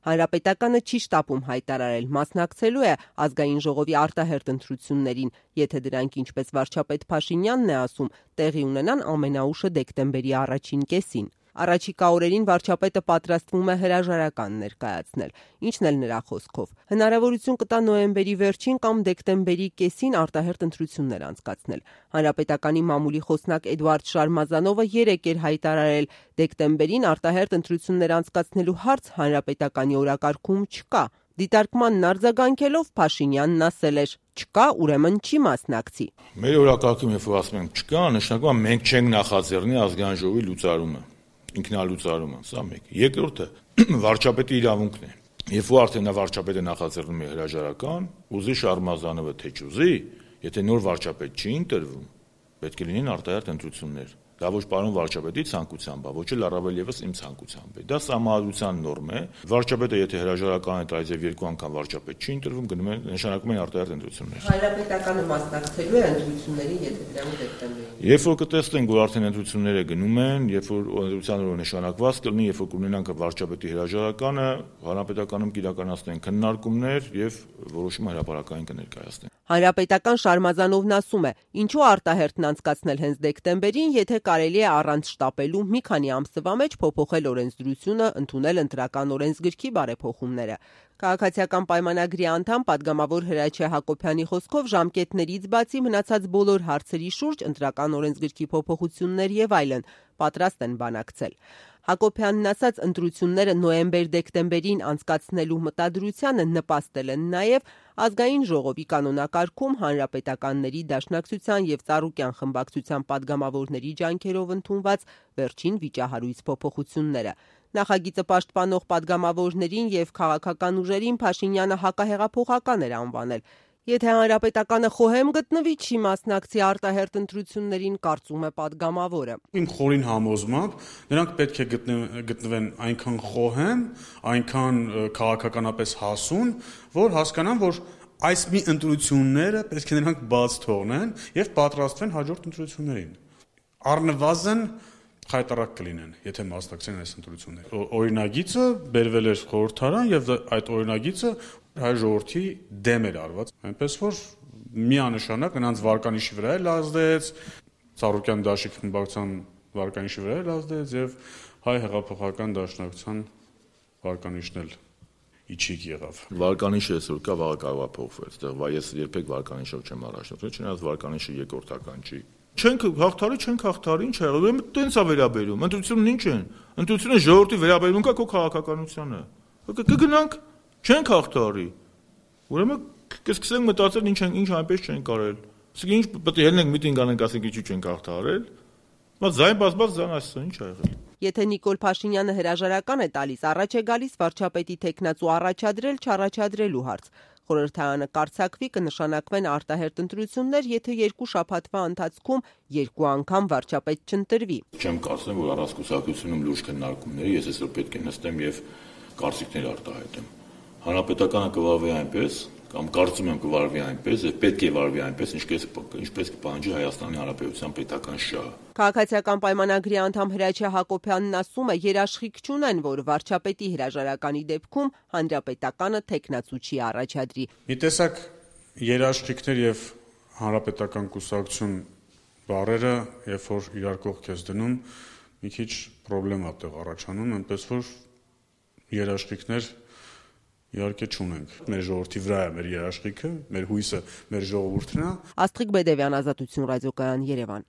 Հանրապետականը չի շտապում հայտարարել մասնակցելու է ազգային ժողովի արտահերթ ընտրություններին, եթե դրանք, ինչպես վարչապետ Փաշինյանն է ասում, տեղի ունենան ամենաուշը դեկտեմբերի առաջին կեսին։ Առաջիկա օրերին վարչապետը պատրաստվում է հրաժարական ներկայացնել, ինչն էլ նրա խոսքով հնարավորություն կտա նոյեմբերի վերջին կամ դեկտեմբերի կեսին արտահերթ ընտրություններ անցկացնել։ Հանրապետականի մամուլի խոսնակ Էդուարդ Շարմազանովը երեկ էր հայտարարել, դեկտեմբերին արտահերթ ընտրություններ անցկացնելու հարց հանրապետականի օրակարգում չկա։ Դիտարկմանն արձագանքելով Փաշինյանն ասել էր. «Չկա, ուրեմն չի մասնակցի»։ Մեր օրակարգում երբ որ ասում ենք չկա, նշանակում է մենք չենք նախաձեռնի ազգային ժողովի լուծարումը, ինքնալուծարումը, սա մեկ։ Երկրորդը վարչապետի իրավունքն է։ Երբ որ արդեն նա վարչապետը նախաձեռնում է հրաժարական, ուզի Շարմազանովը թե չուզի, եթե նոր վարչապետ չի ընտրվում, պետք է լինեն արտահերթ ընտրություններ։ Դա ոչ պարոն վարչապետի ցանկությամբ, ոչ էլ առավել եւս իմ ցանկությամբ է։ Դա սահմանադրության նորմ է։ Վարչապետը եթե հրաժարական է տալիս եւ երկու անգամ վարչապետ չի ընտրվում, գնում են նշանակում են արտահերթ ընտրություններ։ Հանրապետականը մասնակցելու է ընտրություններին, եթե դրանք դեկտեմբերին։ Երբ որ կտեսնենք, որ արդեն ընտրությունները գնում են, երբ որ ընտրության օրը նշանակված կլինի, երբ որ կունենանք վարչապետի հրաժարականը, հանրապետականում կիրականացնեն քննարկումներ եւ որոշումը հրապարակային կներկայացնեն։ Հանրապետական Շարմազանովն ասում է, ինչու արտահերթն անցկացնել հենց դեկտեմբերին, եթե կարելի է առանց շտապելու մի քանի ամսվա մեջ փոփոխել օրենսդրությունը, ընդունել ընտրական օրենսգրքի բարեփոխումները։ Քաղաքացիական պայմանագրի անդամ պատգամավոր Հրաչյա Հակոբյանի խոսքով ժամկետներից բացի մնացած բոլոր հարցերի շուրջ ընտրական օրենսգրքի փոփոխություններ եւ այլն պատրաստ են բանակցել։ Հակոբյանն ասաց, ընտրությունները նոյեմբեր-դեկտեմբերին անցկացնելու մտադրությանը նպաստել են նաև ազգային ժողովի կանոնակարգում հանրապետականների դաշնակցության եւ Ծառուկյան խմբակցության պատգամավորների ջանքերով ընդունված վերջին վիճահարույց փոփոխությունները։ Նախագիծը պաշտպանող պատգամավորներին եւ քաղաքական ուժերին Փաշինյանը հակահեղափոխական էր անվանել։ Եթե հանրապետականը խոհեմ գտնվի, չի մասնակցի արտահերթ ընտրություններին, կարծում է պատգամավորը։ Իմ խորին համոզմամբ նրանք պետք է գտնվեն այնքան խոհեմ, այնքան քաղաքականապես հասուն, որ հասկանան, որ այս մի ընտրությունները պետք է նրանք բաց թողնեն եւ պատրաստվեն հաջորդ ընտրություններին։ Առնվազն խայտարակ կլինեն, եթե մասնակցեն այս ընտրություններին։ Օրինագիծը բերվել էր խորհրդարան եւ այդ օրինագիծը հայ ժողովրդի դեմ էր արված, այնպես որ միանշանակ նրանց վարկանիշի վրա էլ ազդեց, Ծառուկյան դաշիկ խմբակցության վարկանիշի վրա էլ ազդեց եւ հայ հեղափոխական դաշնակցության վարկանիշն էլ իջիկ եղավ։ Վարկանիշը այսօր կա, վաղը կարող է փոխվել, այստեղ ես երբեք վարկանիշով չեմ առաջնորդել, չնայած վարկանիշը երկրորդական չի։ Չենք հաղթարի, ինչ է եղել, ուրեմն տենց է վերաբերում, ընտրությունն ինչ են, ընտրությունը ժողովրդի վերաբերմունք է քո քաղաքականությանը, կգնանք, չենք հաղթարի, ուրեմն կսկսենք մտածել ինչ այնպես չենք արել, իսկ ինչ պետք է ելնենք միտինգ անենք, ասենք ինչու չենք հաղթարել, զայն բազմած զան այսօր ինչ է եղել։ Եթե Նիկոլ Փաշինյանը հրաժարական է տալիս, առաջ է գալիս վարչապետի թեկնածու առաջադրել չառաջադրելու հարց։ Խորհրդարանը կարձակվի, կնշանակվեն արտահերթ ընտրություններ, եթե 2 շաբաթվա ընթացքում 2 անգամ վարչապետ չընտրվի։ Չեմ կարծում, որ առանց լուրջ քննարկումների ես այսօր պետք է նստեմ եւ կարծիքներ արտահայտեմ։ Հանրապետականը կվարվի այնպես, կամ կարծում եմ կվարվի այնպես, եւ պետք է վարվի այնպես, ինչպես կպահանջի Հայաստանի Հանրապետության պետական շահը։ Քաղաքացիական պայմանագրի անդամ Հրաչյա Հակոբյանն ասում է, երաշխիք չունեն, որ վարչապետի հրաժարականի դեպքում հանրապետականը թեկնածու չի առաջադրի։ Մի տեսակ երաշխիքներ եւ հանրապետական կուսակցություն բառերը, երբ որ իրար կողք ես դնում, մի քիչ խնդրեմ տեղ առաջանում, այնպես որ երաշխիքներ իհարկե չունենք։ Մեր ժողովրդի վրա է մեր երաշխիքը, մեր հույսը, մեր ժողովուրդն է։ Աստղիկ Բեդևյան, Ազատություն ռադիոկայան, Երևան։